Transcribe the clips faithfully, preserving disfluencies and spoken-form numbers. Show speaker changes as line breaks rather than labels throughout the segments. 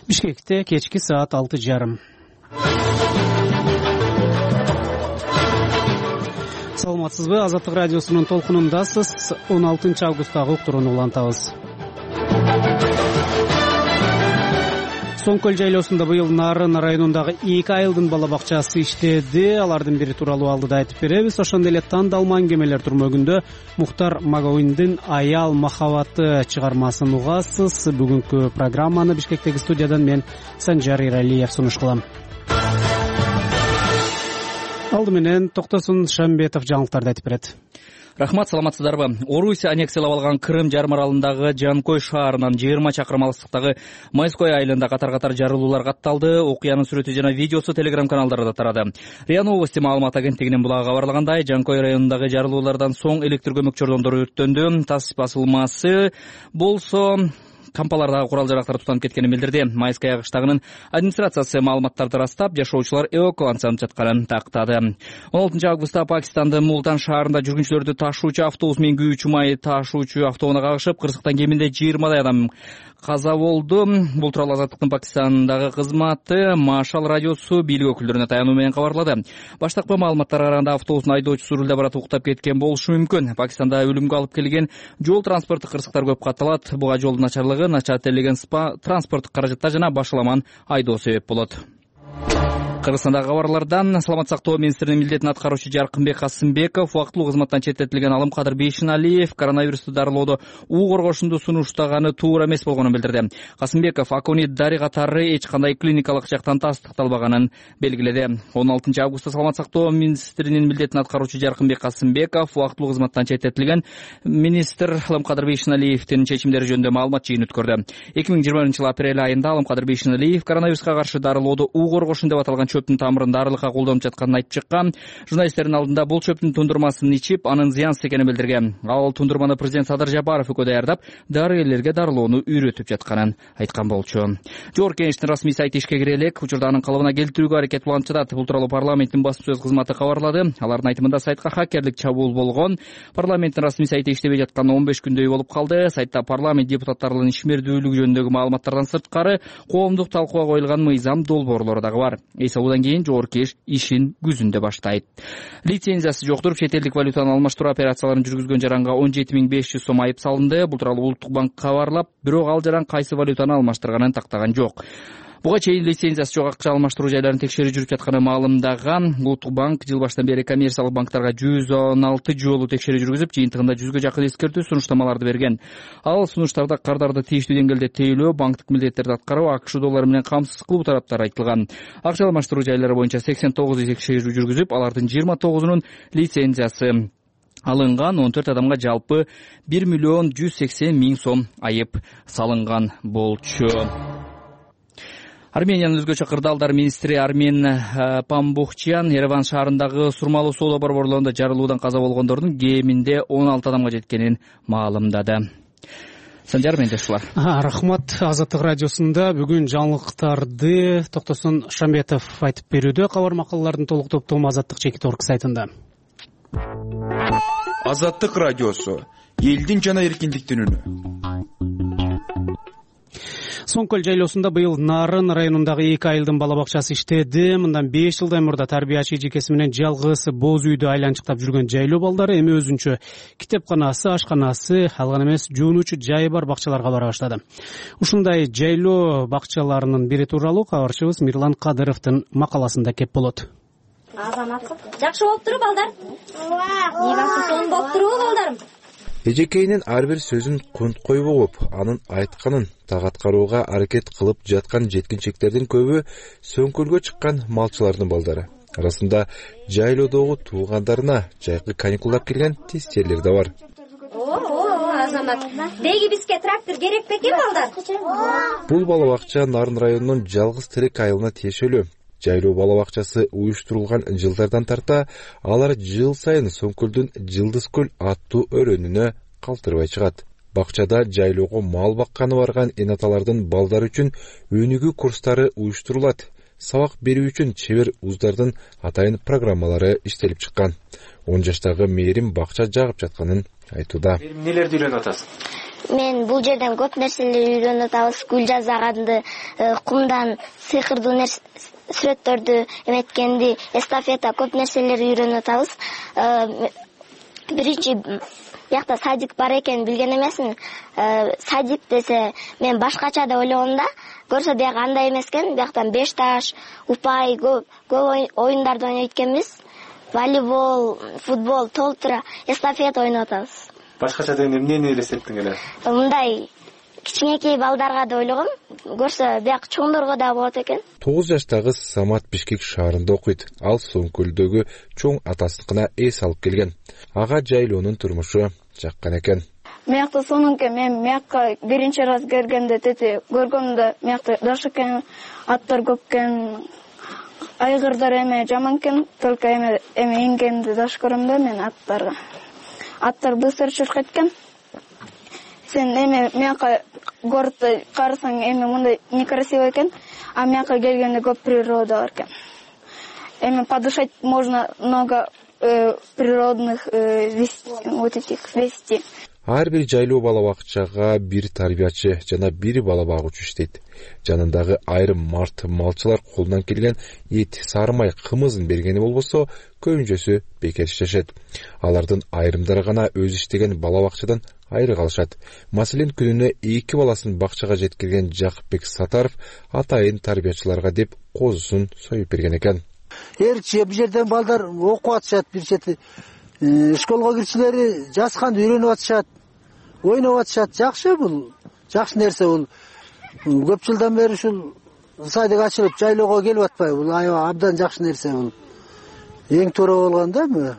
Бишкекте кечки саат алты жарым. Саламатсызбы? Азаттык радиосунун толкунундасыз. он алтынчы августтагы уктурууну улантабыз. Соң көл жайлоосунда быйыл Нарын районундагы эки айылдын бала бакчасы иштеди. Алардын бири тууралуу алдыда айтып беребиз. Ошондой эле тандалма аңгемелер турмөгүндө Мухтар Магауиндин Аял махабаты чыгармасын угасыз. Бүгүнкү программаны Бишкектеги студиядан мен Санжар Иралиев сунуш кылам. Алды менен Токтосун Шамбетов жаңылыктарды айтып берет.
Рахмат, саламатсыздарбы? Орусия аннексиялап алган Крым жарым аралындагы Жанкой шаарынан жыйырма чакырым алыстыктагы Майской айылында катар-катар жарылуулар катталды. Окуянын сүрөтү жана видеосу Telegram каналдарда тарады. РИА Новости маалымат агенттигинин булагы кабарлагандай, Жанкой районундагы жарылуулардан соң электр көмөк чордондору өрттөндү. Тас басылмасы болсо кампалардагы курал-жарактар тутанып кеткенин билдирди. Майская кыштагынын администрациясы маалыматтарды растап, жашоочулар эвакуацияланып жатканын тактады. он алтынчы августта Пакистандын Мултан шаарында жүргүнчүлөрдү ташуучу автобус менен күйүүчү май ташуучу автоунаа кагышып, кырсыктан кеминде жыйырмадай адам каза болду. Бул тууралуу Азаттыктын Пакистандагы кызматы Машал радиосу бийлик өкүлдөрүнө таянуу менен кабарлады. Баштапкы маалыматтарга караганда автобустун айдоочусу рулда барат уктап кеткен болушу мүмкүн. Пакистанда өлүмгө алып келген жол транспорттук кырсыктар көп катталат. Буга жолдун начарлыгы, начар тейлеген транспорттук каражаттар жана башаламан айдоо себеп болот. Кыргызстандагы кабарлардан Саламат сактоо министринин милдетин аткаруучу Жаркынбек Касымбеков убактылуу кызматтан четтетилген Алымкадыр Бейшеналиев коронавирусту дарылоодо уу коргошунду сунуштаганы туура эмес болгонун билдирди. Касымбеков аконит дари катары эч кандай клиникалык жактан тастыкталбаганын белгиледи. он алтынчы августта Саламат сактоо министринин милдетин аткаруучу Жаркынбек Касымбеков убактылуу кызматтан четтетилген министр Алымкадыр Бейшеналиевдин чечимдери жөнүндө маалымат жыйын өткөрдү. эки миң жыйырма биринчи жылы апрель айында Алымкадыр Бейшеналиев коронавируска каршы дарылоодо уу коргошун деп аталган чөптүн тамырын дарылыкка колдонуп жатканын айтып чыккан. Журналисттердин алдында бул чөптүн тундурмасын ичип, анын зыянсыз экенин билдирген. Ал тундурманы президент Садыр Жапаров экөө даярдап, дарыгерлерге дарылоону үйрөтүп жатканын айткан болчу. Жогорку Кеңештин расмий сайты ишке кире элек, учурда анын калыбына келтирүүгө аракет уланып жатат. Бул тууралуу парламенттин басма сөз кызматы кабарлады. Алардын айтымында сайтка хакерлик чабуул болгон. Парламенттин расмий сайты иштебей жатканына он беш күндөй болуп калды. Сайтта парламент депутаттарынын ишмердүүлүгү жөнүндөгү маалыматтардан сырткары коомдук талкууга коюлган мыйзам долбоорлору дагы бар. Эсебудан кийин Жогорку Кеңеш ишин күзүндө баштайт. Лицензиясы жоктуруп чет элдик валютаны алмаштыруу операцияларын жүргүзгөн жаранга он жети миң беш жүз сом айып салынды. Бул тууралуу Улуттук банк кабарлап, бирок ал жаран кайсы валютаны алмаштырганын тактаган жок. Буга чейин лицензиясы жок акча алмаштыруу жайларын текшерип жүрүп жатканы маалымдаган Улуттук банк жыл башынан бери коммерциялык банктарга жүз он алты жолу текшерүү жүргүзүп, жыйынтыгында жүзгө жакын эскертүү сунуштамаларды берген. Ал сунуштарда кардарды тийиштүү деңгээлде тейлөө, банктык милдеттерди аткаруу, АКШ доллары менен камсыз кылуу тараптары айтылган. Акча алмаштыруу жайлары боюнча сексен тогуз текшерүү жүргүзүп, алардын жыйырма тогузунун лицензиясы алынган. он төрт адамга жалпы бир миллион жүз сексен миң сом айып салынган болчу. Армениянын өзгөчө кырдаалдар министри Армен Памбухчян Ереван шаарындагы сурмалуу соода борборлорунда жарылуудан каза болгондордун кеминде он алты адамга жеткенин маалымдады. Санжар Мендешулар.
Рахмат. Азаттык радиосунда бүгүн жаңылыктарды Токтосун Шамбетов айтып берүүдө. Кабар макалалардын толук топтому Азаттык чекит орг сайтында.
Азаттык радиосу элдин жана эркиндиктин үнү.
Соң көл жайлоосунда быйыл Нарын районундагы эки айылдын бала бакчасы иштеди. Мындан беш жылдай мурда тарбиячы эжекеси менен жалгыз боз үйдү айланчыктап жүргөн жайлоо балдары эми өзүнчө китепканасы, ашканасы, ал гана эмес жуунуучу жайы бар бакчаларга бара баштады. Ушундай жайлоо бакчаларынын бири тууралуу кабарчыбыз Мирлан Кадыровдун макаласында кеп болот.
Азаматсыз. Жакшы болуп туруп балдар? Ооба. Сон болуп туруп балдарым.
Эжекейинин ар бир сөзүн кунт койбоп, анын айтканын так аткарууга аракет кылып жаткан жеткинчектердин көбү Сөңкөлгө чыккан малчылардын балдары. Арасында жайлоодогу туугандарына жайкы каникулдап келген тестерлер да бар.
О, Азамат. Деги бизге трактор керек бекен балдар?
Бул бала бакча Нарын районунун жалгыз тирек айылына тиешелүү. Жайлоо бала бакчасы уюштурулган жылдардан тарта алар жыл сайын Сөңкөлдүн Жылдыз көл аттуу өрөөнүнө калтырбай чыгат. Бакчада жайлоого мал бакканы барган энаталардын балдары үчүн өнүгүү курстары уюштурулат. Сабак берүү үчүн чебер уздардын атайын программалары иштелип чыккан. он жаштагы Мээрим бакча жагып жатканын айтууда.
Эмнелерди үйрөнүп атасың?
Мен бул жерден көп нерселерди үйрөнүп атабыз. Гүл жасаганды, кумдан сыйкырдуу сүрөттөрдү эметкенди, эстафета көп нерселерди үйрөнүп атабыз. Биринчи биякта садик бар экенин билген эмесмин. Садик десе мен башкача деп ойлогом да, көрсө бияк андай эмес экен. Бияктан беш таш, упай, көп көп оюндарды ойнойт экенбиз. Волейбол, футбол, толтура, эстафета ойноп атабыз.
Башкача дегенде эмнени элестеттиң эле?
Мындай кичинекей балдарга деп ойлогом. Көрсө бияк чоңдорго да болот экен.
тогуз жаштагы Самат Бишкек шаарында окуйт. Ал Соңкөлдөгү чоң атасыныкына эс алып келген. Ага жайлоонун турмушу жаккан экен.
Мыякта сонунке мен мыякка биринчи раз келгенде тети көргөмдө мыякта жаш экен, аттар көп экен, айгырдар эме жаман экен, только эме эме ингенди жаш көрөм да мен аттарга. Аттар быстро чуркайт экен. Сен эме мыякка городто карасаң эме мындай некрасиво экен, а мыякка келгенде көп природа бар экен. Эме подышать можно много э, природных э, вести, вот этих вести.
Ар бир жайлоо бала бакчага бир тарбиячы жана бир бала багуучу иштейт. Жанындагы айрым март малчылар колунан келген эт, сары май, кымызын бергени болбосо, көбүнчөсү бекер иштешет. Алардын айрымдары гана өз иштеген бала бакчадан айры калышат. Маселен, күнүнө эки баласын бакчага жеткирген Жакыпбек Сатаров атайын тарбиячыларга деп козусун союп берген экен.
Эрчи бул жерден балдар окуп атышат, бир чети школго кирчилери жазганды үйрөнүп атышат, ойноп атышат. Жакшы, бул жакшы нерсе. Бул көп жылдан бери ушул садик ачылып жайлоого келип атпайбы? Бул аябай абдан жакшы нерсе. Бул эң туура болгон да.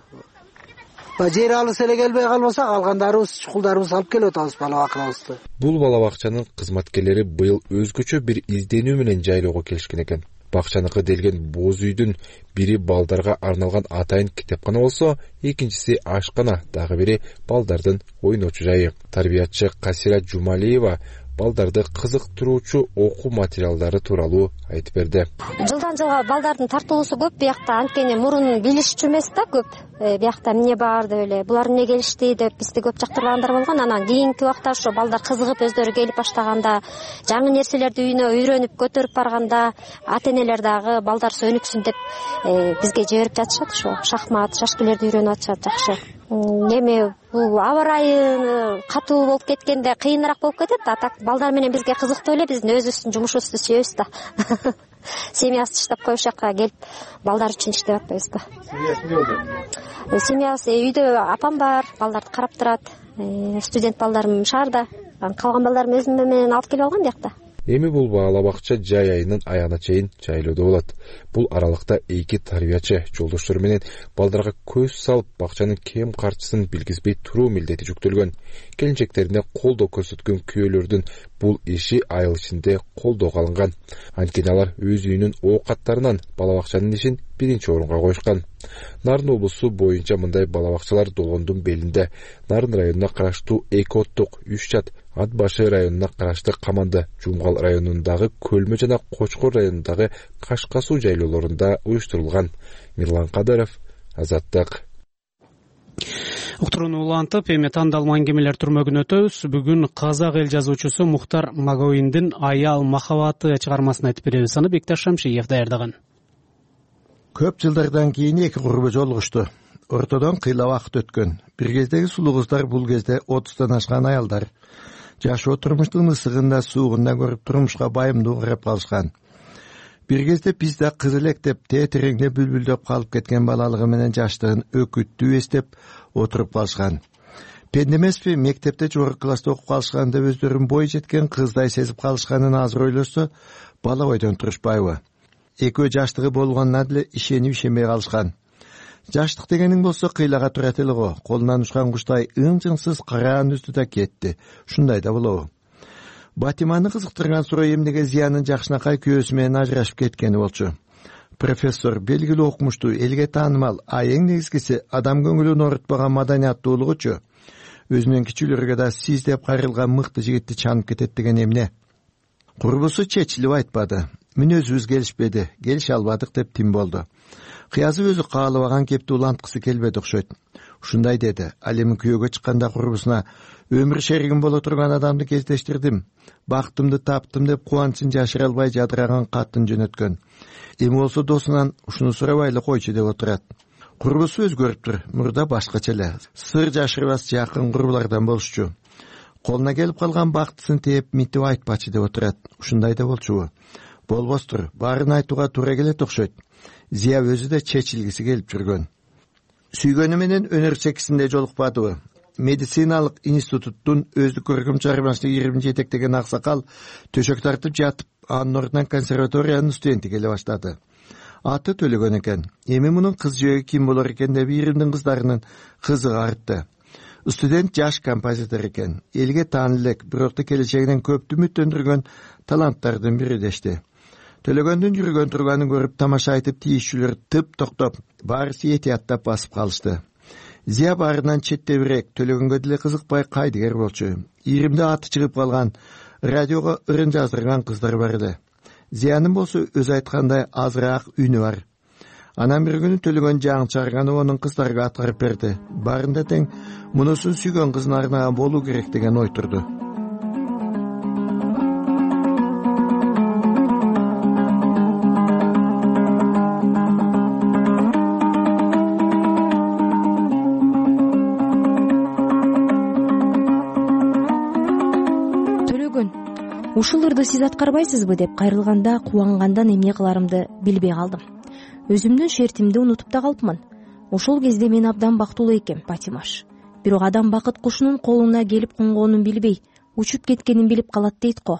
Жер алыс эле келбей калбаса, калгандарыбыз, чукулдарыбыз алып келип атабыз бала бакчабызды.
Бул бала бакчанын кызматкерлери быйыл өзгөчө бир изденүү менен жайлоого келишкен экен. Бакчаныкы делген боз үйдүн бири балдарга арналган атайын китепкана болсо, экинчиси ашкана, дагы бири балдардын ойночу жайы. Тарбиячы Касира Жумалиева балдарды кызыктыруучу окуу материалдары тууралуу айтып берди.
Жылдан жылга балдардын тартылуусу көп. Биякта анткени мурун билишчү эмес да көп. Биякта эмне бар деп эле, булар эмне келишти деп бизди көп жактыргандар болгон. Анан кийинки убакта ошо балдар кызыгып өздөрү келип баштаганда, жаңы нерселерди үйүнө үйрөнүп көтөрүп барганда, ата-энелер дагы балдар өнүксүн деп бизге жиберип жатышат. Ошо шахмат, шашкилерди үйрөнүп атышат. Жакшы. Эми бул аба ырайы катуу болуп кеткенде кыйыныраак болуп кетет. А так балдар менен бизге кызыктуу эле, биздин өзүбүздүн жумушубузду сүйөбүз да. Семьясы иштеп коюш жакка келип балдар үчүн иштеп атпайбыз да. Семьясы үйдө апам бар, балдарды карап турат. Студент балдарым шаарда, калган балдарым өзүм менен алып келип алгам биякта.
Эми бул бала бакча жай айынын аягына чейин жайлоодо болот. Бул аралыкта эки тарбиячы жолдоштору менен балдарга көз салып, бакчанын кем карчысын билгизбей туруу милдети жүктөлгөн. Келинчектерине колдоо көрсөткөн күйөөлөрдүн бул иши айыл ичинде колдоого алынган. Анткени алар өз үйүнүн оокаттарынан бала бакчанын ишин биринчи орунга коюшкан. Нарын облусу боюнча мындай бала бакчалар Долгондун белинде, Нарын районуна караштуу Эки Оттук, Үч Чат, Ат башы районуна карашты Каманды, Жумгал районундагы Көлмө жана Кочкор районундагы Кашка суу жайлоолорунда уюштурулган. Мирлан Кадыров, Азаттык.
Уктурууну улантып, эми тандалма аңгемелер түрмөгүн өтөбүз. Бүгүн казак эл жазуучусу Мухтар Магоиндин Аял махабаты чыгармасын айтып беребиз. Аны Бекташ Шамшиев даярдаган.
Көп жылдардан кийин эки курбу жолугушту. Ортодон кыйла убакыт өткөн. Бир кездеги сулуу кыздар бул кезде отуздан ашкан аялдар. Жашоо турмуштун ысыгында, суугунда көрүп турмушка байымдуу карап калышкан. Бир кезде биз да кыз электеп, тетиреңде бүлбүлдөп калып кеткен балалыгы менен жаштыгын өкүттүү эстеп отуруп калышкан. Пенде эмеспи, мектепте жогорку класста окуп калышканда өздөрүн бой жеткен кыздай сезип калышканын азыр ойлосо, бала бойдон турушпайбы? Экөө жаштыгы болгонуна деле ишенип ишенбей калышкан. Жаштык дегениң болсо кыйлага турат эле го. Колунан учкан куштай ың-жыңсыз караан үздү да кетти. Ушундай да болобу? Батиманы кызыктырган суроо эмнеге Зиянын жакшынакай күйөөсү менен ажырашып кеткени болчу. Профессор белгилүү окумуштуу, элге таанымал, а эң негизгиси адам көңүлүн оорутпаган маданияттуулугучу. Өзүнүн кичүүлөргө да сиз деп кайрылган мыкты жигитти чанып кетет деген эмне? Курбусу чечилип айтпады. Мүнөзүбүз келишпеди, келише албадык деп тим болду. Кыязы өзү каалабаган кепти уланткысы келбеди окшойт. Ушундай деди. Ал эми күйөөгө чыкканда курбусуна өмүр шеригим боло турган адамды кездештирдим. Бактымды таптым деп кубанычын жашыра албай жадыраган катын жөнөткөн. Эми болсо досунан ушуну сурабайлы койчу деп отурат. Курбусу өзгөрүптүр. Мурда башкача эле. Сыр жашырбас жакын курбулардан болушчу. Колуна келип калган бактысын тээп митип айтпачы деп отурат. Ушундай да болчубу? Болбостур. Баарын айтууга туура келет окшойт. Зия өзү да чечилгиси келип жүргөн. Сүйгөнү менен өнөр чекисинде жолукпадыбы? Медициналык институттун өздүк көркөм чыгармачылык ийримин жетектеген аксакал төшөк тартып жатып, анын ордунан консерваториянын студенти келе баштады. Аты Төлөгөн экен. Эми мунун кыз жөөгү ким болор экен деп ийримдин кыздарынын кызыгы артты. Студент жаш композитор экен. Элге таанылуу элек, бирок да келечегинен көптү үмүттөндүргөн таланттардын бири дешти. Төлөгөндүн жүргөн турганын көрүп тамаша айтып тийишчүлөр тып токтоп, баарысы этияттап басып калышты. Зия баарынан четтебирээк, Төлөгөнгө деле кызыкпай кайдыгер болчу. Ийримде аты чыгып калган, радиого ырын жаздырган кыздар бар эле. Зиянын болсо өзү айткандай азыраак үнү бар. Анан бир күнү Төлөгөн жаңы чыгарганы онун кыздарга аткарып берди. Баарында тең мунусун сүйгөн кызын арнаган болуу керек деген ой турду.
Ушул ырды сиз аткарбайсызбы деп кайрылганда кубангандан эмне кыларымды билбей калдым. Өзүмдүн шертимди унутуп да калыпмын. Ошол кезде мен абдан бактылуу экем, Патимаш. Бирок адам бакыт кушунун колуна келип конгонун билбей, учуп кеткенин билип калат дейт го.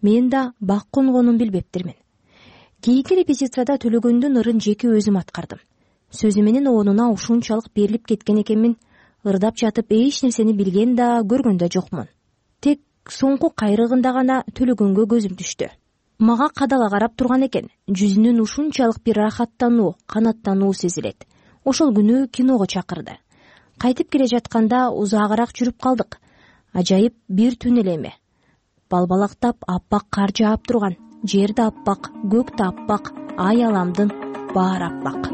Мен да бак конгонун билбептирмин. Кийинки репетицияда Төлөгөндүн ырын жеке өзүм аткардым. Сөзү менен оонуна ушунчалык берилип кеткен экенмин. Ырдап жатып эч нерсени билген да, көргөн да жокмун. Тек соңку кайрыгында гана Төлөгөнгө көзүм түштү. Мага кадала карап турган экен. Жүзүнөн ушунчалык бир рахаттануу, канаттануу сезилет. Ошол күнү киного чакырды. Кайтып келе жатканда узаагыраак жүрүп калдык. Ажайып бир түн эле эме. Балбалактап аппак кар жаап турган. Жер да аппак, көк да аппак, ай аламдын баары аппак.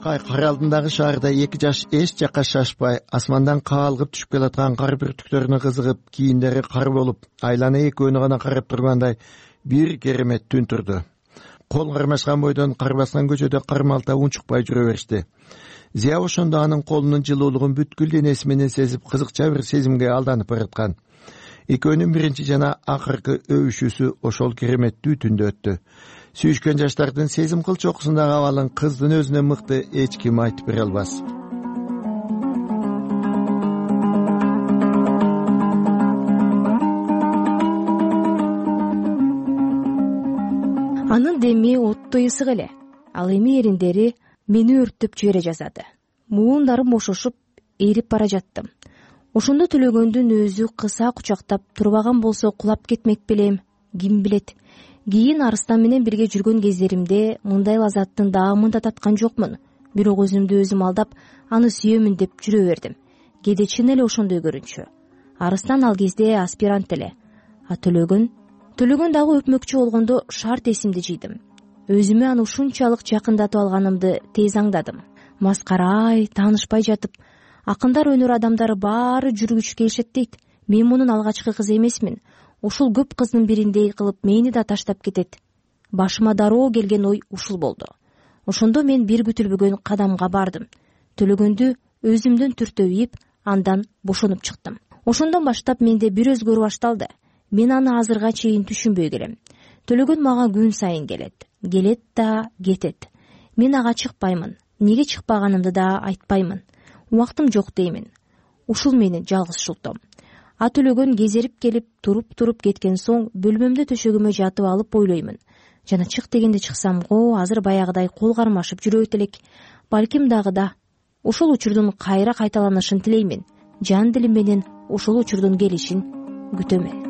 Кар алдындагы шаарда эки жаш эч жакка шашпай, асмандан каалгып түшүп келаткан кар бүртүктөрүнө кызыгып, кийиндери кар болуп, айлана экөөнү гана карап тургандай бир керемет түн турду. Кол кармашкан бойдон кар баскан көчөдө кармалта унчукпай жүрө беришти. Зия ошондо анын колунун жылуулугун бүткүл денеси менен сезип, кызыкча бир сезимге алданып бараткан. Экөөнүн биринчи жана акыркы өбүшүүсү ошол кереметтүү түндө өттү. Сүйүшкөн жаштардын сезим кыл чокусундагы абалын кыздын өзүнөн мыкты эч ким айтып бере албас.
Анын деми оттой ысык эле. Ал эми эриндери мени өрттөп жибере жаздады. Муундарым бошошуп, эрип бара жаттым. Ошондо Төлөгөндүн өзү кыса кучактап турбаган болсо кулап кетмек белем, ким билет. Кийин Арыстан менен бирге жүргөн кездеримде мындай лазаттын даамын да таткан жокмун. Бирок өзүмдү өзүм алдап, аны сүйөмүн деп жүрө бердим. Кээде чын эле ошондой көрүнчү. Арыстан ал кезде аспирант эле. А Төлөгөн, Төлөгөн дагы өпмөкчү болгондо шарт эсимди жыйдым. Өзүмө аны ушунчалык жакындатып алганымды тез аңдадым. Маскарай, таанышпай жатып, акындар өнөр адамдары баары жүргүч келишет дейт. Мен мунун алгачкы кызы эмесмин. Ушул көп кыздын бириндей кылып мени да таштап кетет. Башыма дароо келген ой ушул болду. Ошондо мен бир күтүлбөгөн кадамга бардым. Төлөгөндү өзүмдөн түртөйүп, андан бошонуп чыктым. Ошондон баштап менде бир өзгөрүү башталды. Мен аны азырга чейин түшүнбөй келем. Төлөгөн мага күн сайын келет. Келет да кетет. Мен ага чыкпаймын. Неге чыкпаганымды да айтпаймын. Убактым жок деймин. Ушул менин жалгызчылыктым. А Төлөгөн кезерип келип, туруп-туруп кеткен соң бөлмөмдө төшөгүмө жатып алып ойлоймун. Жана чык дегенде чыксам го, азыр баягыдай кол кармашып жүрөт элек. Балким дагы да. Ушул учурдун кайра кайталанышын тилеймин. Жан дилим менен ушул учурдун келишин күтөмүн.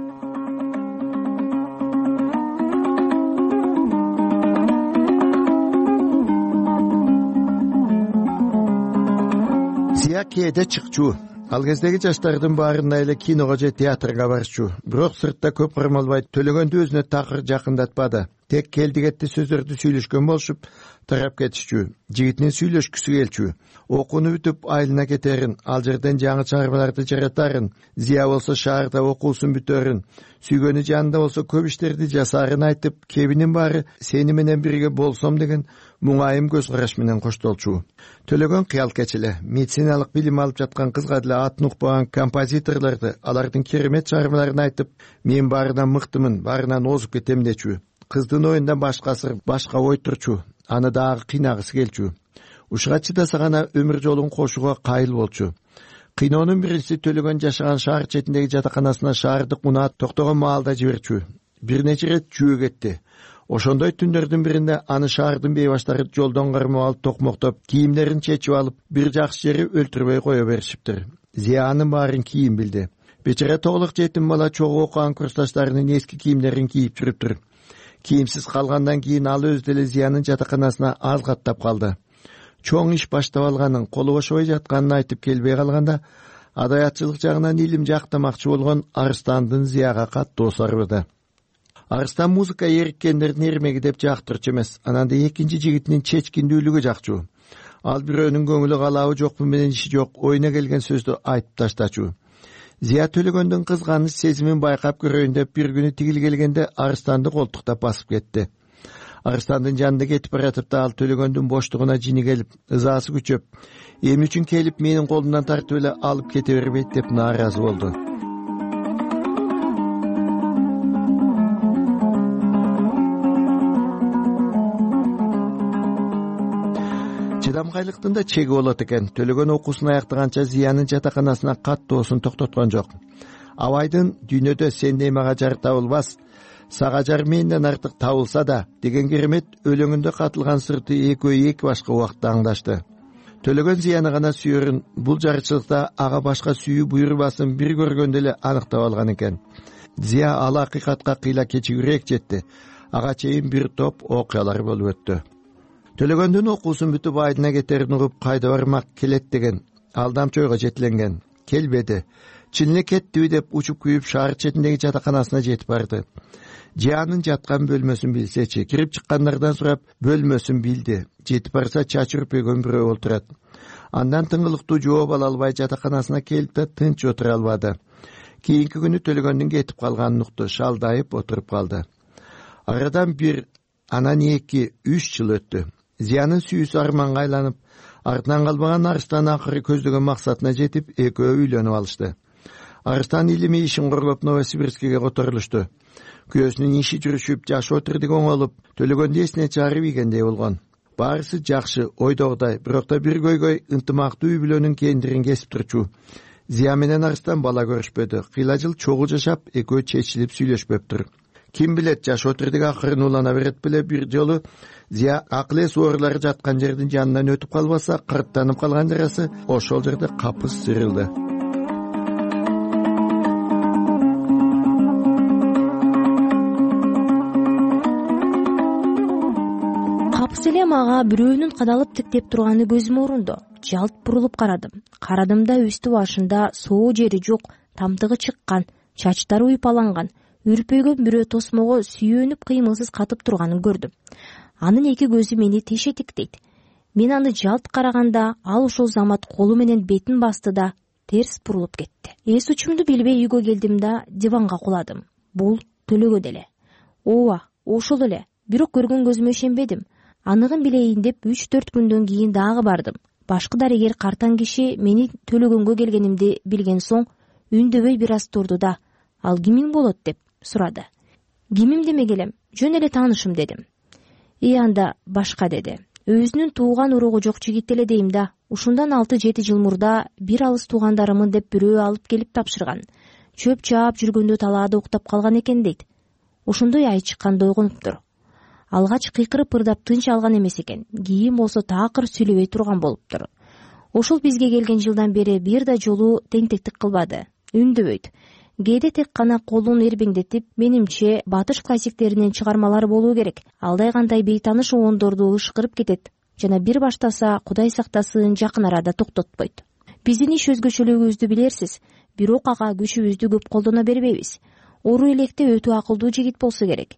Зия кээде чыкчу. Ал кездеги жаштардын баарына эле киного же театрга барчу, бирок сыртта көп кармалбай төлөгөндү өзүнө такыр жакындатпады. Тек келди кетти сөздөрдү сүйлөшкөн болушуп тарап кетишчү. Жигитинин сүйлөшкүсү келчү. Окууну бүтүп айылына кетерин, ал жерден жаңы чыгармаларды жаратарын, Зия болсо шаарда окуусун бүтөрүн, сүйгөнү жанында болсо көп иштерди жасаарын айтып, кебинин баары сени менен бирге болсом деген муңайым көз караш менен коштолчу. Төлөгөн кыял кечеле, медициналык билим алып жаткан кызга деле атын укпаган композиторлорду, алардын керемет чыгармаларын айтып, мен баарынан мыктымын, баарынан озуп кетем дечү. Кыздын оюнда башка сыр, башка ой турчу, аны дагы кыйнагысы келчү. Ушуга чыдаса гана өмүр жолун кошууга кайыл болчу. Кыйноонун биринчиси Төлөгөн жашаган шаар четиндеги жатаканасына шаардык унаат токтогон маалда жиберчү. Бир нече ирет жөө кетти. Ошондой түндөрдүн биринде аны шаардын бейбаштары жолдон кармап алып токмоктоп, кийимдерин чечип алып, бир жакшы жери өлтүрбөй кое беришиптир. Зия анын баарын кийин билди. Бечара тоголук жетим бала чогуу окуган курсташтарынын эски кийимдерин кийип жүрүптүр. Кийимсиз калгандан кийин ал өзү деле Зиянын жатаканасына аз каттап калды. Чоң иш баштап алганын, колу бошобой жатканын айтып келбей калганда, адаятчылык жагынан илим жактамакчы болгон Арыстандын Зияга каттуу сарбыды. Арыстан музыка эриккендердин эрмеги деп жактырчу эмес, анан да экинчи жигитинин чечкиндүүлүгү жакчу. Ал бирөөнүн көңүлү калабы жокпу менен иши жок, оюна келген сөздү айтып таштачу. Зия Төлөгөндүн кызганыч сезимин байкап көрөйүн деп бир күнү тигил келгенде Арыстанды колтуктап басып кетти. Арыстандын жанында кетип баратып да ал Төлөгөндүн боштугуна жини келип, ызаасы күчөп, эмне үчүн келип менин колумдан тартып эле алып кете бербейт деп нааразы болду. Чыдамкайлыктын да чеги болот экен. Төлөгөн окуусун аяктаганча Зиянын жатаканасына каттоосун токтоткон жок. Абайдын «Дүйнөдө сендей мага жар табылбас, сага жар менден артык табылса да» деген керемет өлөңүндө катылган сырты экөө эки башка убакта аңдашты. Төлөгөн Зияны гана сүйөрүн, бул жарычылыкта ага башка сүйүү буйрубасын бир көргөндө эле аныктап алган экен. Зия ал акыйкатка кыйла кечигирээк жетти. Ага чейин бир топ окуялар болуп өттү. Төлөгөндүн окуусун бүтүп айдына кетерин угуп кайда бармак келет деген алдамчы ойго жетиленген. Келбеди. Чын эле кеттиби деп учуп күйүп шаар четиндеги жатаканасына жетип барды. Жиянын жаткан бөлмөсүн билсечи, кирип чыккандардан сурап бөлмөсүн билди. Жетип барса чачы үрпөйгөн бирөө олтурат. Андан тыңгылыктуу жооп ала албай жатаканасына келип да тынч отура албады. Кийинки күнү Төлөгөндүн кетип калганын укту, шалдайып отуруп калды. Арадан бир, анан эки, үч жыл өттү. Зиянын сүйүүсү арманга айланып, артынан калбаган Арыстан акыры көздөгөн максатына жетип, экөө үйлөнүп алышты. Арыстан илими ишин корлоп Новосибирскиге которулушту. Күйөөсүнүн иши жүрүшүп, жашоо тирдиги оңолуп, Төлөгөндү эсине чыгарып ийгендей болгон. Баарысы жакшы, ойдогудай, бирок да бир көйгөй ынтымактуу үй бүлөнүн кендирин кесип турчу. Зия менен Арыстан бала көрүшпөдү. Кыйла жыл чогуу жашап, экөө чечилип сүйлөшпөптүр. Ким билет, жашоо тирдиги акырын улана берет беле, бир жолу Зия акыл эс оорулары жаткан жердин жанынан өтүп калбаса, кырттанып калган жарасы ошол жерде капыс сырылды.
Капыс эле мага бирөөнүн кадалып тиктеп турганы көзүмө урунду. Жалт бурулуп карадым. Карадымда үстү башында соо жери жок, тамтыгы чыккан, чачтары уйпаланган, үрпөйгөн бирөө тосмого сүйөнүп кыймылсыз катып турганын көрдүм. Анын эки көзү мени тешетиктейт. Мен аны жалт караганда ал ошол замат колу менен бетин басты да терс бурулуп кетти. Эс учумду билбей үйгө келдим да диванга куладым. Бул Төлөгөн эле. Ооба, ошол эле. Бирок көргөн көзүмө ишенбедим. Аныгын билейин деп үч төрт күндөн кийин дагы бардым. Башкы дарыгер картаң киши мени Төлөгөнгө келгенимди билген соң үндөбөй бир аз турду да, ал кимиң болот деп сурады. Кимим демек элем, жөн эле таанышым дедим. И анда башка деди. Өзүнүн тууган уругу жок жигит эле дейм да. Ушундан алты жети жыл мурда бир алыс туугандарымын деп бирөө алып келип тапшырган. Чөп чаап жүргөндө талаада уктап калган экен дейт. Ошондой ай чыкканда ойгонуптур. Алгач кыйкырып ырдап тынч алган эмес экен. Кийин болсо такыр сүйлөбөй турган болуптур. Ошол бизге келген жылдан бери бир да жолу теңтектик кылбады. Үндөбөйт. Кээде тек гана колун эрбеңдетип, менимче батыш классиктеринен чыгармалар болуу керек. Алдай кандай бейтаныш оондорду ышкырып кетет жана бир баштаса Кудай сактасын жакын арада токтотпойт. Биздин иш өзгөчөлүгүбүздү билерсиз, бирок ага күчүбүздү көп колдоно бербейбиз. Ору электе өтө акылдуу жигит болсо керек.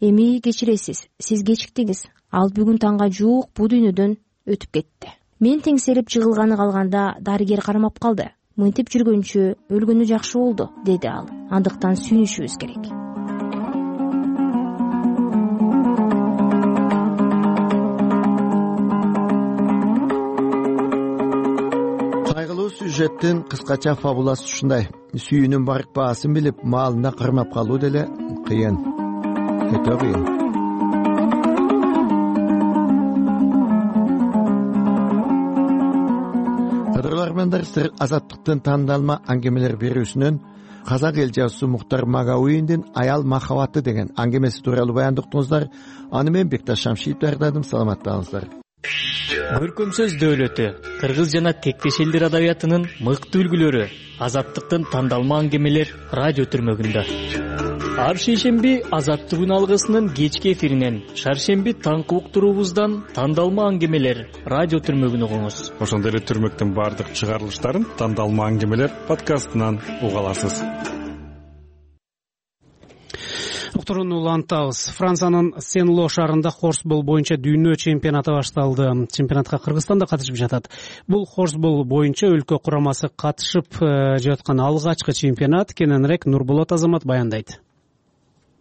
Эми кечиресиз, сиз кечиктиңиз. Ал бүгүн таңга жуук бул дүйнөдөн өтүп кетти. Мен теңселип жыгылганы калганда дарыгер кармап калды. Мынтип жүргөнчө өлгөнү жакшы болду, деди ал. Андыктан сүйүнүшүбүз керек.
Кайгылуу сюжеттин кыскача фабуласы ушундай. Сүйүүнүн барк баасын билип, маалында кырмап калуу деле кыйын. Өтө кыйын. Кадрлармандар сыр азаттыктын тандалма аңгемелер берүүсүнөн казак эл жазуусу Муктар Магауиндин Аял махабаты деген аңгемеси тууралуу баяндыктыңыздар. Аны мен Бекташ Шамшиев даярдадым. Саламаттаңыздар.
Көркөм сөз дөөлөтү, кыргыз жана тектеш элдер адабиятынын мыкты үлгүлөрү, азаттыктын тандалма аңгемелер радио түрмөгүндө. Ар шейшемби Азаттык күн алгысынын кечки эфиринен, шаршемби таңкы уктуруубуздан тандалма аңгемелер радио түрмөгүн угуңуз.
Ошондой эле түрмөктүн баардык чыгарылыштарын тандалма аңгемелер подкастынан уга аласыз.
Уктурууну улантабыз. Франциянын Сен-Ло шаарында хорсбол боюнча дүйнө чемпионаты башталды. Чемпионатка Кыргызстан да катышып жатат. Бул хорсбол боюнча өлкө курамасы катышып жаткан алгачкы чемпионат. Кененирээк Нурболот Азамат баяндайт.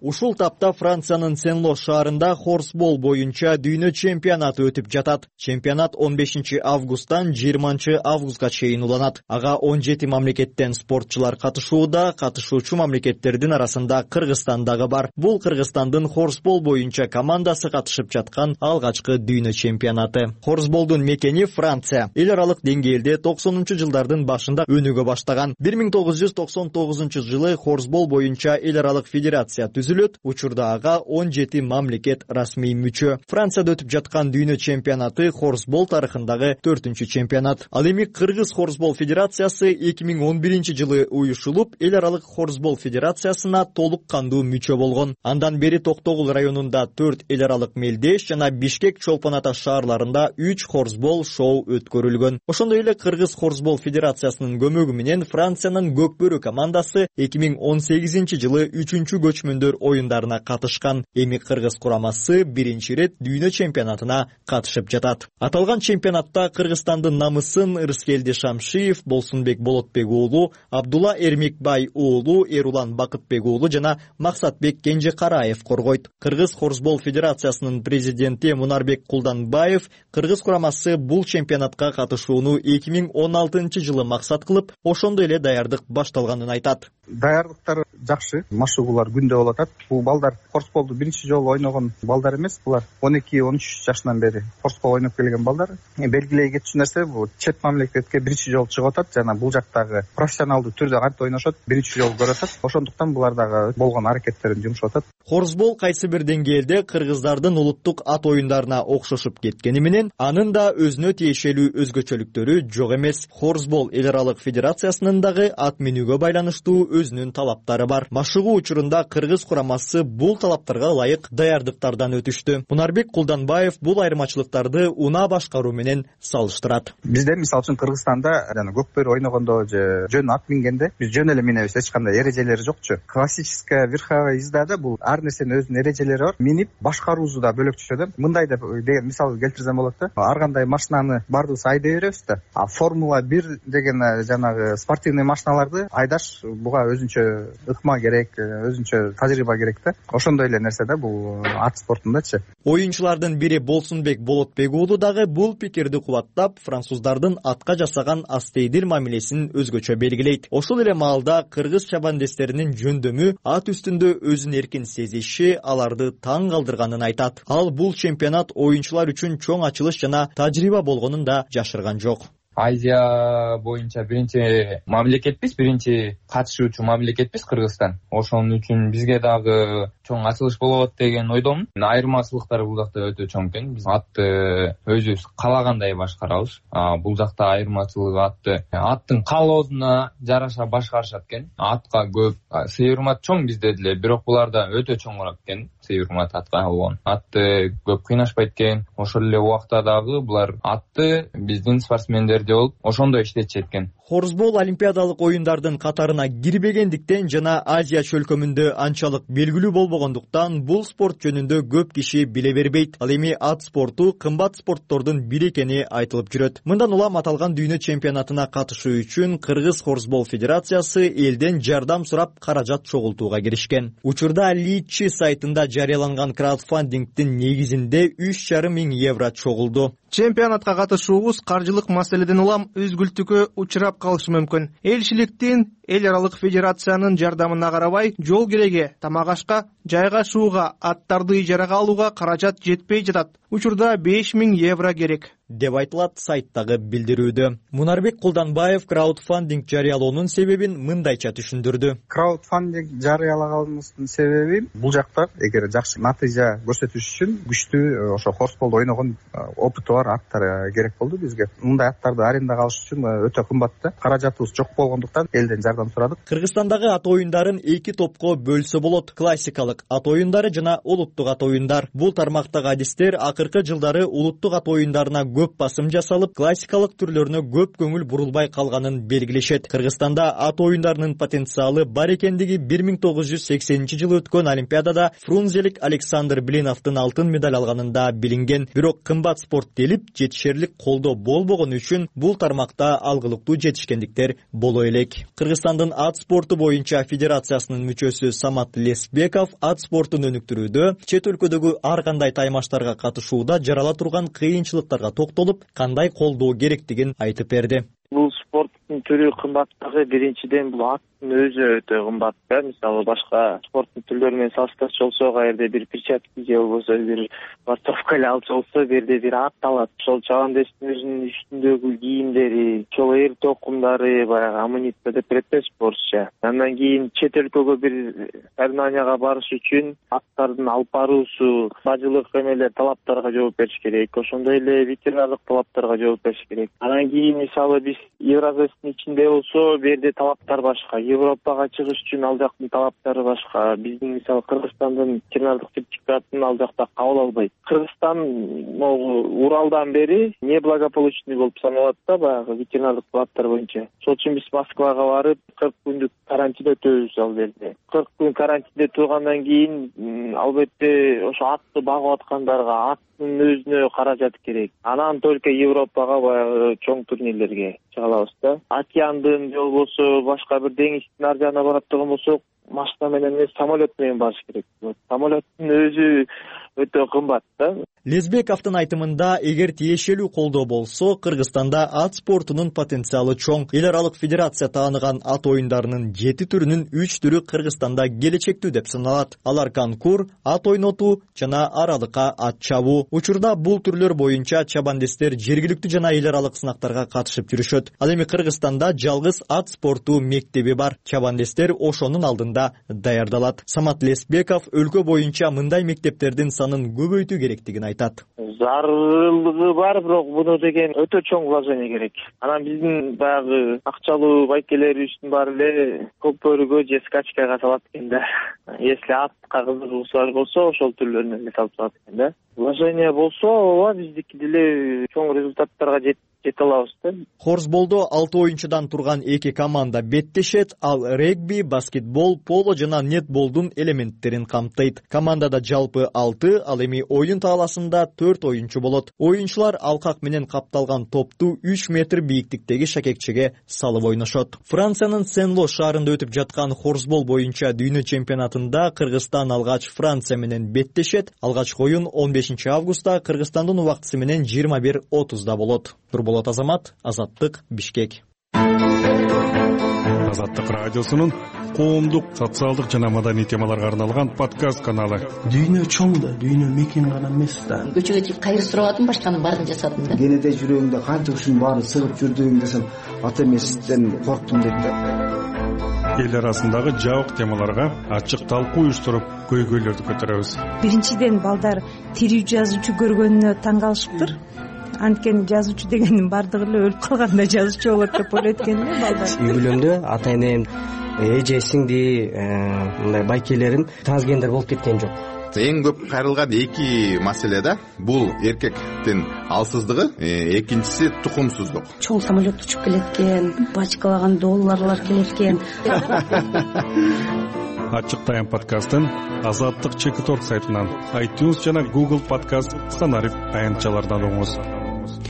Ушул тапта Франциянын Сен-Ло шаарында хорсбол боюнча дүйнө чемпионаты өтүп жатат. Чемпионат он бешинчи августтан жыйырманчы августка чейин уланат. Ага он жети мамлекеттен спортчулар катышууда, катышуучу мамлекеттердин арасында Кыргызстан дагы бар. Бул Кыргызстандын хорсбол боюнча командасы катышып жаткан алгачкы дүйнө чемпионаты. Хорсболдун мекени Франция. Эл аралык деңгээлде токсонунчу жылдардын башында өнүгө баштаган. бир миң тогуз жүз токсон тогузунчу жылы хорсбол боюнча эл аралык федерация түзүлөт. Учурда ага он жети мамлекет расмий мүчө. Францияда өтүп жаткан дүйнө чемпионаты хорсбол тарыхындагы төртүнчү чемпионат. Ал эми Кыргыз хорсбол федерациясы эки миң он биринчи жылы уюшулуп, эл аралык хорсбол федерациясына толук кандуу мүчө болгон. Андан бери Токтогул районунда төрт эл аралык мелдеш жана Бишкек, Чолпон Ата шаарларында үч хорсбол шоу өткөрүлгөн. Ошондой эле Кыргыз хорсбол федерациясынын көмөгү менен Франциянын Көкбөрү командасы эки миң он сегизинчи жылы үчүнчү көчмөндөр оюндарына катышкан. Эми Кыргыз курамасы биринчи ирет дүйнө чемпионатына катышып жатат. Аталган чемпионатта Кыргызстандын намысын Рыскелди Шамшиев, Болсунбек Болотбек уулу, Абдулла Эрмекбай уулу, Эрулан Бакытбек уулу жана Максатбек Кенжекараев коргойт. Кыргыз хорсбол федерациясынын президенти Мунарбек Кулданбаев Кыргыз курамасы бул чемпионатка катышууну эки миң он алтынчы жылы максат кылып, ошондой эле даярдык башталганын айтат.
Даярдыктар жакшы, машыгуулар күндө болуп атат. Бул балдар хорсболду биринчи жолу ойногон балдар эмес, булар он эки он үч жашынан бери хорсбол ойноп келген балдар. Белгилей кетчү нерсе, бул чет мамлекетке биринчи жолу чыгып атат жана бул жактагы профессионалдуу түрдө кантип ойношот биринчи жолу көрүп атат. Ошондуктан булар дагы болгон аракеттерин жумшап атат.
Хорсбол кайсы бир деңгээлде кыргыздардын улуттук ат оюндарына окшошуп кеткени менен, анын да өзүнө тиешелүү өзгөчөлүктөрү жок эмес. Хорсбол эл аралык федерациясынын дагы ат минүүгө байланыштуу өзүнүн талаптары бар. Машыгуу учурунда Кыргыз курамасы бул талаптарга ылайык даярдыктардан өтүштү. Мунарбек Кулданбаев бул айырмачылыктарды унаа башкаруу менен салыштырат.
Бизде мисалы үчүн Кыргызстанда жана Көкбөрү ойногондо же жөн ат мингенде биз жөн эле минебиз, эч кандай эрежелери жокчу. Классическая верховая ездада бул ар нерсенин өзүнүн эрежелери бар. Минип башкаруусу да бөлөкчө да. Мындай деп деген мисал келтирсем болот да. Ар кандай машинаны бардыбыз айдай беребиз да. А Формула бир деген жанагы спортивный машиналарды айдаш буга өзүнчө ыкма керек, өзүнчө тажрыйба керек да. Ошондой эле нерсе да бул ат спортундачы.
Оюнчулардын бири Болсунбек Болотбек уулу дагы бул пикирди кубаттап, француздардын атка жасаган астейдил мамилесин өзгөчө белгилейт. Ошол эле маалда кыргыз чабандестеринин жөндөмү, ат үстүндө өзүн эркин сезиши аларды таң калтырганын айтат. Ал бул чемпионат оюнчулар үчүн чоң ачылыш жана тажрыйба болгонун да жашырган жок.
Азия боюнча биринчи мамлекетпиз, биринчи катышуучу мамлекетпиз Кыргызстан. Ошон үчүн бизге дагы чоң ачылыш болот деген ойдомун. Айырмачылыктар бул жакта өтө чоң экен. Биз атты өзүбүз каалагандай башкарабыз. Бул жакта айырмачылык атты аттын каалоосуна жараша башкарышат экен. Атка көп сый-урмат чоң бизде деле, бирок буларда өтө чоңураак экен. сый урмат атка болгон. Атты көп кыйнашпайт экен. Ошол эле убакта дагы булар атты биздин спортсмендерде болуп ошондой иштетишет экен.
Хорсбол олимпиадалык оюндардын катарына кирбегендиктен жана Азия чөлкөмүндө анчалык белгилүү болбогондуктан бул спорт жөнүндө көп киши биле бербейт. Ал эми ат спорту кымбат спорттордун бири экени айтылып жүрөт. Мындан улам аталган дүйнө чемпионатына катышуу үчүн Кыргыз хорсбол федерациясы элден жардам сурап каражат чогултууга киришкен. Учурда Личи сайтында жарыяланган краудфандингдин негизинде үч жарым миң евро чогулду.
Чемпионатка катышуубуз каржылык маселеден улам үзгүлтүккө учурап калышы мүмкүн. Элчиликтин, эл аралык федерациянын жардамына карабай, жол кереге, тамак ашка, жайгашууга, аттарды ижарага алууга каражат жетпей жатат. Учурда беш миң евро керек
деп айтылат сайттагы билдирүүдө. Мунарбек Кулданбаев краудфандинг жарыялоонун себебин мындайча түшүндүрдү.
Краудфандинг жарыялаганыбыздын себеби бул жакта эгер жакшы натыйжа көрсөтүш үчүн күчтүү ошо хорсболду ойногон опыты бар аттар керек болду бизге. Мындай аттарды арендага алыш үчүн өтө кымбат да. Каражатыбыз жок болгондуктан элден жардам сурадык.
Кыргызстандагы ат оюндарын эки топко бөлсө болот: классикалык ат оюндары жана улуттук ат оюндар. Бул тармактагы адистер акыркы жылдары улуттук ат оюндарына көп басым жасалып, классикалык түрлөрүнө көп көңүл бурулбай калганын белгилешет. Кыргызстанда ат оюндарынын потенциалы бар экендиги бир миң тогуз жүз сексенинчи жылы өткөн олимпиадада фрунзелик Александр Блиновдун алтын медаль алганында билинген. Бирок кымбат спорт делип жетишерлик колдоо болбогон үчүн бул тармакта алгылыктуу жетишкендиктер боло элек. Кыргызстандын ат спорту боюнча федерациясынын мүчөсү Самат Лесбеков ат спортун өнүктүрүүдө чет өлкөдөгү ар кандай таймаштарга катышууда жарала турган кыйынчылыктарга токтолуп, кандай колдоо керектигин айтып берди.
Бул спорттун түрү кымбаттыгы биринчиден бул аттын өзү өтө кымбат да. Мисалы башка спорттун түрлөрү менен салыштырчу болсок, каерде бир перчатки же болбосо бир спортовка эле алчу болсо, бир жерде бир ат алат. Ошол чабандестин өзүнүн үстүндөгү кийимдери, ошол эр токумдары, баягы амуниция деп берет да спортчу. Андан кийин чет өлкөгө бир соревнованияга барыш үчүн аттардын алып баруусу, бажылык эмелер, талаптарга жооп бериш керек. Ошондой эле ветеринардык талаптарга жооп бериш керек. Андан кийин мисалы биз Евразиянын ичинде болсо, бу жерде талаптар башка. Европага чыгыш үчүн ал жактын талаптары башка. Биздин мисалы Кыргызстандын ветеринардык сертификатын ал жакта кабыл албайт. Кыргызстан могу Уралдан бери неблагополучный болуп саналат да, баягы ветеринардык талаптар боюнча. Ошол үчүн биз Москвага барып кырк күндүк карантин өтөбүз ал жерде. кырк күн карантинде тургандан кийин албетте ошо атты багып аткандарга аттын өзүнө каражат керек. Анан только Европага баягы чоң турнирлерге чыга алабыз да. Океандын же болбосо башка бир деңиздин ар жагына барат турган болсок, машина менен эмес, самолет менен барыш керек. Самолеттин өзү өтө кымбат да.
Лесбековдун айтымында, эгер тиешелүү колдоо болсо, Кыргызстанда ат спортунун потенциалы чоң. Эл аралык федерация тааныган ат оюндарынын жети түрүнүн үч түрү Кыргызстанда келечектүү деп саналат. Алар конкур, ат ойнотуу жана аралыкка ат чабуу. Учурда бул түрлөр боюнча чабандестер жергиликтүү жана эл аралык сынактарга катышып жүрүшөт. Ал эми Кыргызстанда жалгыз ат спорту мектеби бар. Чабандестер ошонун алдында даярдалат. Самат Лесбеков өлкө боюнча мындай мектептердин санын көбөйтүү керектигин айтат.
Зарылыгы бар, бирок буну деген өтө чоң вложение керек. Анан биздин баягы акчалуу байкелерибиздин баары эле көпөргө же скачкага салат экен да. Если атка кызыгуусу болсо, ошол түрлөрүнө эле салып салат экен да. Вложение болсо, ооба биздики деле чоң результаттарга жете алабыз да.
Хорсболдо алты оюнчудан турган эки команда беттешет, ал регби, баскетбол, поло жана нетболдун элементтерин камтыйт. Командада жалпы алты, ал эми оюн тааласында төрт оюнчу болот. Оюнчулар алкак менен капталган топту үч метр бийиктиктеги шакекчеге салып ойношот. Франциянын Сен-Ло шаарында өтүп жаткан хорсбол боюнча дүйнө чемпионатында Кыргызстан алгач Франция менен беттешет. Алгачкы оюн он бешинчи августта Кыргызстандын убактысы менен жыйырма бир отузда болот. Нурболот Азамат, Азаттык, Бишкек.
Азаттык радиосунун коомдук, социалдык жана маданий темаларга арналган подкаст каналы.
Дүйнө чоң да, дүйнө мекен гана эмес да.
Көчөгө чыгып кайыр сурабадым, башканын баарын жасадым да.
Кенеде жүрөгүмдө канча ушунун баары сыгып жүрдүм десем, ата эместен корктум дейт да.
Эл арасындагы жабык темаларга ачык талкуу уюштуруп, көйгөйлөрдү көтөрөбүз.
Биринчиден балдар тирүү жазуучу көргөнүнө таң калышыптыр. Анткени жазуучу дегендин бардыгы эле өлүп калганда жазуучу болот деп ойлойт экен да балдар.
Үй бүлөмдө ата энем, эже сиңди мындай байкелерим трансгендер болуп кеткен жок.
эң көп кайрылган эки маселе да, бул эркектин алсыздыгы, экинчиси тукумсуздук.
Чоң самолет учуп келет экен, бачкалаган долларлар келет экен.
Ачык Тайм подкастын Азаттык чекит орг сайтынан, iTunes жана Google подкаст, Станариф аянтчалардан угуңуз.